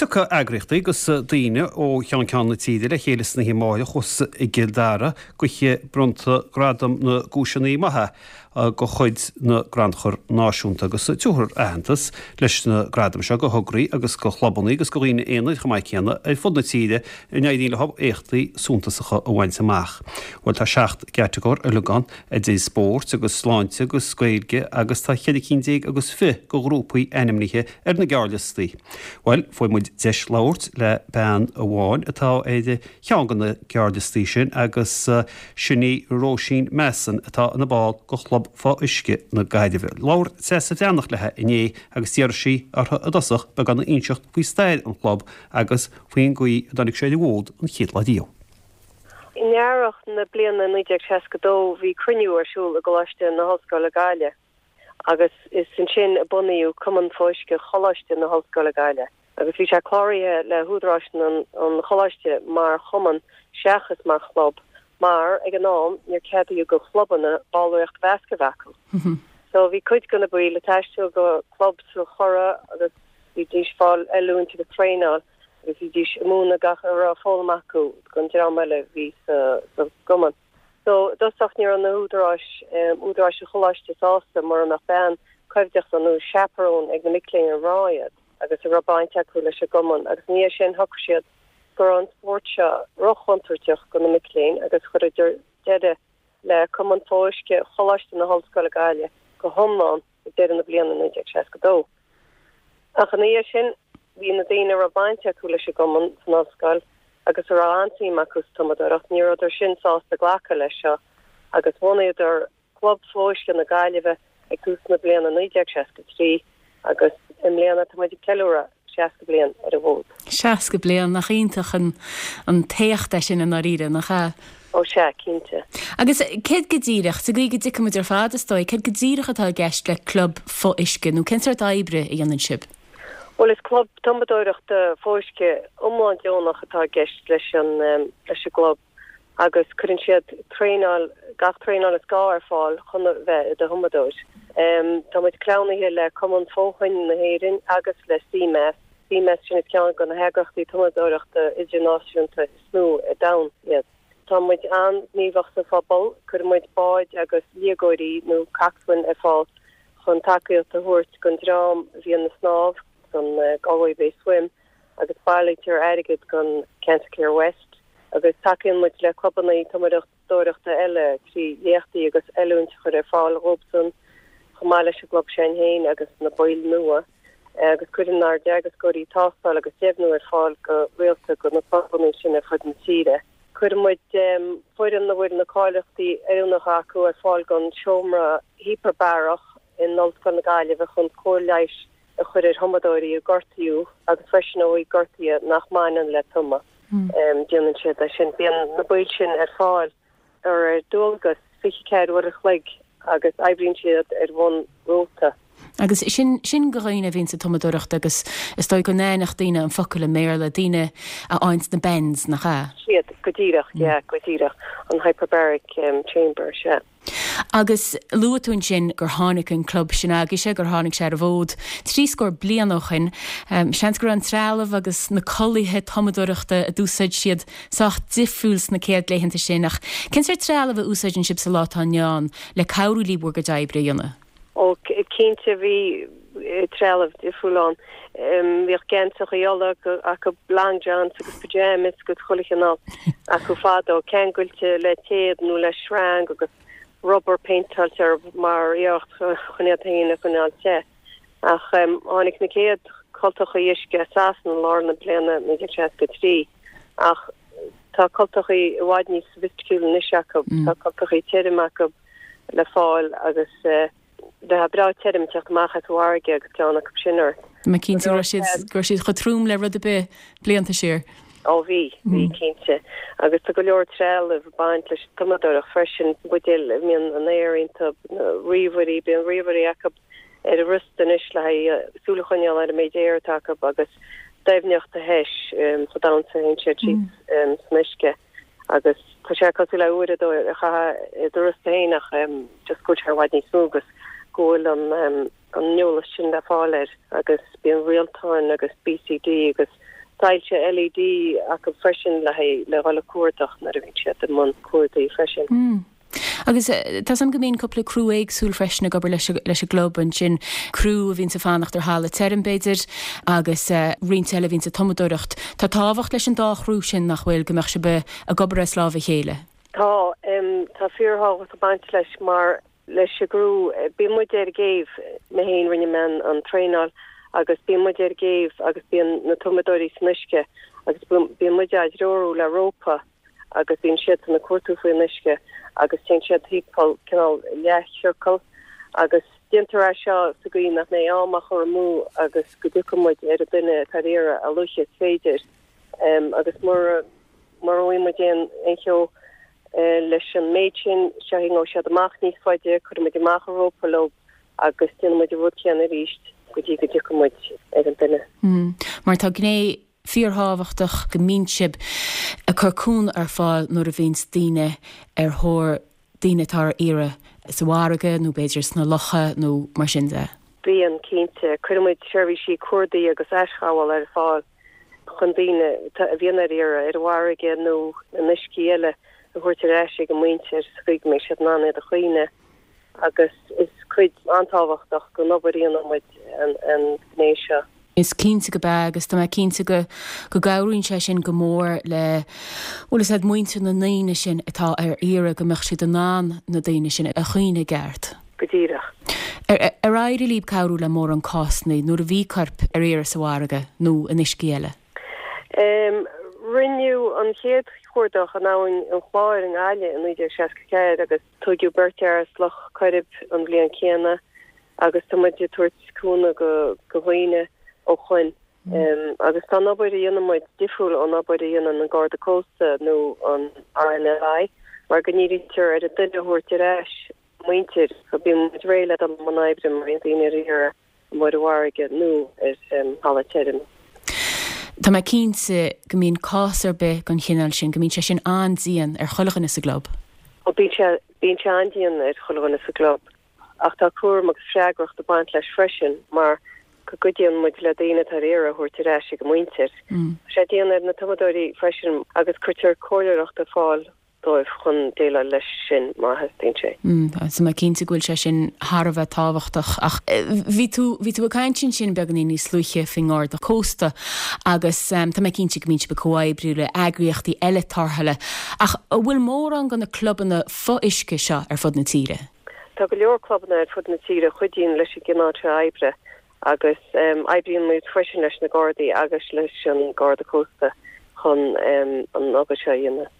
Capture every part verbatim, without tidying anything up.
Tiocfaidh eagraíochtaí agus daoine ó cheann ceann na tíre le chéile san oíche amárach thuas i gCill Dara go hoíche bronnta Gradam na gCúiseanna Maithe de chuid na gCrannchur Náisiúnta agus tabharfar aitheantas leis na gradaim seo go thograí agus go chlubanna agus go dhaoine aonair chomh maith céanna ar fud na tíre a n-éiríonn leo éachtaí suntasacha a bhaint amach. Bhuel tá seacht gcatagóir uilig ann idir spórt agus sláinte agus Gaeilge agus tá ceithre cinn déag agus fiche de ghrúpaí ainmnithe ar na gearrliostaí. Bhuel fuair muid deis labhairt le bean amháin atá ar cheann de na gearrliostaí sin agus sin í Róisín Masson atá ina ball de Chlub Fo-Uisce na Gaillimhe. Labhair Treasa Bhreathnach léi inné agus d'iarr sí uirthi i dtosach beagán a inseacht faoi stair an chlub agus faoin gcaoi a dtáinig sé ar an bhfód an chéad lá riamh. In earrach na bliana naoi déag seasca dó bhí cruinniú ar siúl i gColáiste na hOllscoile Gaillimh agus is ansin a bunaíodh Cumann Fo-Uisce Choláiste na hOllscoile Gaillimh. Agus bhí sé cláraithe le húdaráis an choláiste mar chumann seachas mar chlub, mar ag an am níor ceadaíodh do chlubanna ballraíocht mheasctha a bheith acu. So bhí cuid de na baill ag taisteal go club sa Churrach agus bhídís ag fáil oiliúint agus traenáil agus bhídís ag múineadh gach a raibh foghlamtha acu don dream eile a bhí sa sa gcumann. So i dtosach ní raibh na húdaráis údaráis an choláiste sásta mura mbeadh bean coimhdeachta nó chaperone ag na mic léinn ar mná iad agus a raibh baint acu leis an gcumann agus ina dhiaidh sin shocraigh siad go raibh an spórt seo róchontúirteach do na mic léinn agus chuireadar deireadh le Cumann Fo-Uisce Choláiste na hOllscoile Gaillimh go hiomlán ag deireadh na bliana naoi déag seasca dó. Ach ina dhiaidh sin bhí na daoine a raibh baint acu leis an gcumann san ollscoil agus a raibh an-suim acu sa tumadóireacht, ní rabhadar sin sásta glacadh leis seo agus bhunaíodar Club Fo-Uisce na Gaillimhe ag tús na bliana naoi déag seasca trí agus i mbliana tá muid ag ceiliúradh seasca bliain ar an bhfód. Seasca bliain, nach iontach an an t-éacht é sin i ndáiríre, nach ea? Ó sea, cinnte. Agus céard go díreach, sa gcaoi go dtuigfidh muid ar fad is dóigh, céard go díreach atá i gceist le club fo-uisce nó cén sórt oibre a dhéanann sibh? Bhuel is club tumadóireachta fo-uisce iomlán deonach atá i gceist leis an leis an gclub agus cuireann siad traenáil, gach traenáil is gá ar fáil chun a bheith i do thumadóir. Tá muid cleamhnaithe le Cumann Fo-Thoinn na hÉireann agus le CMAS. CMAS sin is ceann de na heagraíochtaí tumadóireachta idirnáisiúnta is mó ar domhan iad. Tá muid an-ghníomhach sa phobal, cuireann muid báid agus liagóirí nó coxswain ar fáil chun tacaíocht a thabhairt don dream a bhíonn ag snámh don Galway Bay Swim agus bailítear airgead don Cancer Care West agus tacaíonn muid le clubanna tumadóireachta eile trí léachtaí agus oiliúint a chur ar fáil dhóibhsan chomh maith leis an gclub sin féin agus na baill nua agus cuireann ár dteagascóirí tástáil agus deimhniú ar fáil go rialta do na clubanna sin ar fud na tíre. Cuireann muid foireann a bhfuil na cáilíochtaí oiriúnacha acu ar fáil don seomra hipearbarach in Ollscoil na Gaillimhe chun cóir leighis a chur ar thumadóirí a gortaíodh agus freisin ó thaobh gortuithe nach mbaineann le tumadh. Déanann siad é sin. Bíonn na baill sin ar fáil ar ar dualgas fiche ceathair uair a chloig agus oibríonn siad ar bhonn róta. Agus sin sin do dhaoine a bhíonn sa tumadóireacht agus is dóigh go n-aithneodh daoine an focal i mBéarla, daoine a fhaigheanns na bends, nach ea? Siad, go díreach, yeah, go díreach, an hyperbaric chamber, sea. Agus luaigh tú ansin gur tháinig an club sin agaibhse, gur tháinig sé ar an bhfód trí scór bliain ó shin. Seans go raibh an trealamh agus na culaithe tumadóireachta a d'úsáid siad sách difriúil sna céad laethanta sin, ach cén sórt trealamh a úsáideann sibh sa lá atá inniu ann le cabhrú libh bhur gcuid oibre a dhéanamh? Ó, cinnte bhí trealamh difriúil ann. Bhíodh geansachaí olla acu, long johns agus pyjamas agus chuile chineál acu fadó, ceangailte le téad nó le sreang agus rubber péinteáilte orthu mar iarracht chun iad féin a choinneáil te. Ach tháinig na chéad cultachaí uisce as Sasana i lár na bliana naoi déag seasca trí ach tá cultachaí i bhfad níos soifisticiúla anois acu, tá cultachaí tirim acu le fáil agus bheifeá breá tirim ag teacht amach as an bhfarraige agus ceann acu sin ort. Tá mé cinnte go raibh siad go raibh siad chomh trom le rud ar bith blianta siar. Ó bhí, bhí cinnte. Agus tá go leor trealamh ag baint leis an tumadóireacht freisin, buidéil a mbíonn an aer iontu, ríomhairí, bíonn ríomhairí acu ar a riosta anois le haghaidh súil a choinneáil ar an méid aeir atá acu agus doimhneacht a thomhas chomh domhain is a théann siad síos san uisce. Agus tá sé cosúil le uair a dó a chaitheamh i do riosta féin ach just go bhfuil sé i bhfad níos mó agus go bhfuil an an eolas sin le fáil air agus bíonn rialtáin agus BCD agus soilse LED acu freisin le haghaidh le dhul ag cuardach nuair a bhíonn siad i mbun cuardaigh freisin. Mm. Agus tá 's agam go mbíonn cúpla criú éagsúil freisin ag obair leis leis an gclub ansin, criú a bhíonns ag fanacht ar thalamh tirim b'fhéidir agus roinnt eile a bhíonns ag tumadóireacht. Tá tábhacht leis an dá chriú sin nach bhfuil go mbeadh sibh ag obair as lámh a chéile? Tá, tá fíorthábhacht ag baint leis mar leis an gcriú, bíonn muid ar an gcéibh, mé féin rinne mé an traenáil agus bíonn muid ar an gcéibh agus bíonn na tumadóirí san uisce agus bíonn muid á dtreorú le rópa agus bíonn siadsan ag cuartú faoin uisce agus téann siad timpeall cineál leathchiorcal agus déantar é seo sa gcaoi nach mbeidh am á chur amú agus go dtiocfaidh muid ar an duine atá ar iarraidh a luaithe is féidir agus mura mura bhfaighidh muid aon aon cheo leis an méid sin gabhfaidh siad amach níos faide, cuirfidh muid amach an rópa leo agus déanfaidh muid an rud céanna arís go dtí go dtiocfaidh muid ar an duine. Mar tá gné fíorthábhachtach go mbíonn sibh ag cur cúnamh ar fáil nuair a bhíonns daoine ar thóir daoine atá ar iarraidh sa bhfarraige nó b'fhéidir sna locha nó mar sin de. Bíonn, cinnte. Cuireann muid seirbhísí cuardaigh agus aisghabhála ar fáil chun daoine a bhíonn ar iarraidh ar an bhfarraige nó in uiscí eile a thabhairt ar ais ag a muintir sa gcaoi go mbeidh siad in ann iad a chaoineadh agus is cuid an-tábhachtach den obair a dhéanann muid an ghné seo. Is cinnte gurb ea agus tá mé cinnte go go gcabhraíonn sé sin go mór le bhfuil fhios a'd muintir na ndaoine sin atá ar iarraidh go mbeadh siad in ann na daoine sin a chaoineadh i gceart. Go díreach. Ar ar éirigh libh cabhrú le mórán cásanna nuair a bhí coirp ar iarraidh sa bhfarraige nó in uiscí eile? Rinneadh an chéad chuardach in Abhainn an Chláir i nGaillimh i naoi déag seasca ceathair agus tóigeadh beirt fhear as Loch Coirib an bhliain chéanna agus tá muid ag tabhairt cúnamh go go dhaoine ó shoin. Agus tá an obair a dhéanann muid difriúil ón obair a dhéanann an Garda Cósta nó an RNLI mar go ndírítear ar an duine a thabhairt ar ais muintir so bíonn muid réidh le dul i mbun oibre má bhíonn daoine ar iarraidh amuigh ar an bhfarraige nó ar thalamh tirim. Tá mé cinnte go mbíonn cás ar bith den chineál sin, go mbíonn sé sin an-dian ar chuile dhuine sa gclub. Ó bíonn sé, bíonn sé an-dian ar chuile dhuine sa gclub. Ach tá cúram agus freagracht ag baint leis freisin mar go gcuidíonn muid le daoine atá ar iarraidh a thabhairt ar ais ag a muintir. Tá sé dian ar na tumadóirí freisin agus cuirtear comhairleoireacht ar fáil dóibh chun déileáil leis sin má theastaíonn sé. Tá mé cinnte go bhfuil sé sin thar a bheith tábhachtach ach bhí tú bhí tú ag caint ansin beagáinín níos luaithe faoin nGarda Cósta agus tá mé cinnte go mbíonn sibh ag comhoibriú le eagraíochtaí eile tarrthála ach an bhfuil mórán de na clubanna fo-uisce seo ar fud na tíre? Tá go leor clubanna ar fud na tíre a chuidíonn leis an gcineál seo oibre agus oibríonn muid freisin leis na Gardaí agus leis an Garda Cósta chun an obair seo a dhéanamh.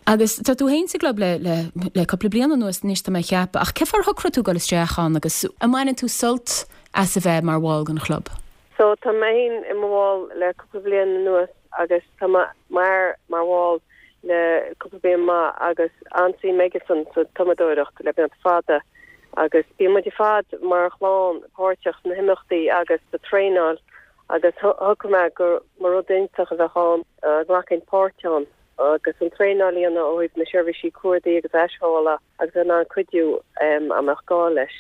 Agus tá tú féin sa gclub le le le cúpla bliain anuas anois tá mé a cheapadh, ach cén fáth ar shocraigh tú dul isteach ann agus an mbaineann tú sult as a bheith mar bhall den chlub? So tá mé féin i mo bhall le cúpla bliain anuas agus tá m'fhear mar bhall le cúpla bliain maith agus an-suim aigesan sa tumadóireacht le blianta fada agus bíonn muid ar fad mar chlann páirteach sna himeachtaí agus sa traenáil agus shocraigh mé go mba rud iontach a bheadh ann glacadh páirt ann. agus an traenáil a dhéanamh ó thaobh na seirbhísí cuardaigh agus aisghabhála agus in ann cuidiú a mbeadh gá leis.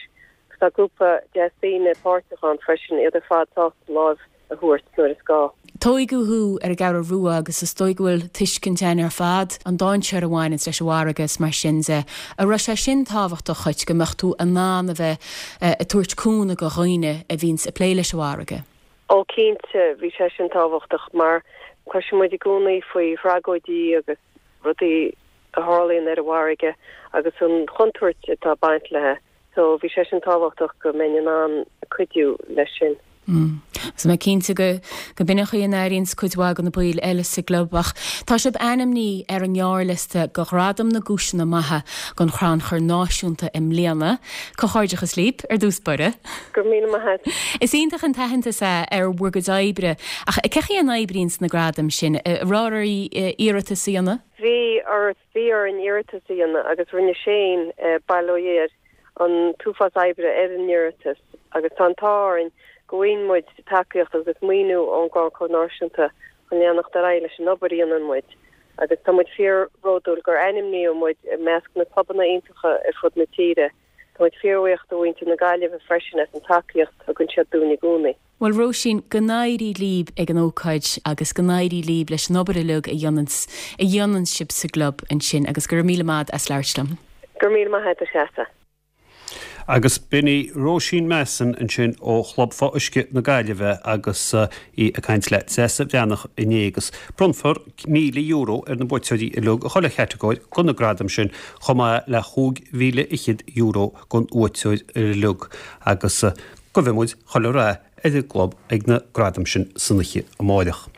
Agus tá grúpa deas daoine páirteach ann freisin, iad ar fad sásta lámh a thabhairt nuair is gá. Tóigeadh thú ar an gCeathrú Rua agus is dóigh go bhfuil tuiscint againn ar fad an dainséar a bhaineanns leis an bhfarraige is mar sin de. An raibh sé sin tábhachtach dhuit, go mbeadh tú in ann a bheith ag tabhairt cúnamh do dhaoine a bhíonns ag plé leis an bhfarraige? Ó cinnte, bhí sé sin tábhachtach mar cloiseann muid i gcónaí faoi thragóidí agus rudaí a tharlaíonn ar an bhfarraige agus an chontúirt atá ag baint léi. So bhí sé sin tábhachtach go mbeinn in ann cuidiú leis sin. Tá mé cinnte go go b'in an chaoi a n-airíonns cuid mhaith de na baill eile sa gclub ach tá sibh ainmnithe ar an ngearrliosta do Ghradam na gCúiseanna Maithe don Chrannchur Náisiúnta i mbliana. Comhghairdeachas libh ar dtús báire. Go raibh míle maith agat. Is iontach an t-aitheantas é ar bhur gcuid oibre ach cé chaoi a n-oibríonns na gradaim sin? An raibh oraibh iarratas a dhéanamh? Bhí ort, bhí orainn iarratas a dhéanamh agus rinne Shane, bail ó Dhia air, an t-uafás oibre ar an iarratas agus tá an t-ádh orainn go bhfaigheann muid tacaíocht agus maoiniú ón gCrannchur Náisiúnta chun leanacht ar aghaidh leis an obair a dhéanann muid agus tá muid fíorbhródúil gur ainmníodh muid i measc na clubanna iontacha ar fud na tíre. Tá muid fíorbhuíoch do mhuintir na Gaillimhe freisin as an tacaíocht a thugann siad dúinn i gcónaí. Bhuel Róisín, go n-éirí libh ag an ócáid agus go n-éirí libh leis an obair uilig a dhéanann a dhéanann sibh sa gclub ansin agus go raibh míle maith as labhairt liom. Go raibh míle maith agat a Threasa. Agus b'in í Róisín Masson ansin ó Chlub Fo-Uisce na Gaillimhe agus í ag caint le Treasa Bhreathnach inné agus bronnfar míle euro ar na buaiteoirí uilig i chuile chatagóir de na gradaim sin chomh maith le chúig mhíle fhichead euro don bhuaiteoir uilig agus guífidh muid chuile rath ar an gclub ag na gradaim sin san oíche amárach.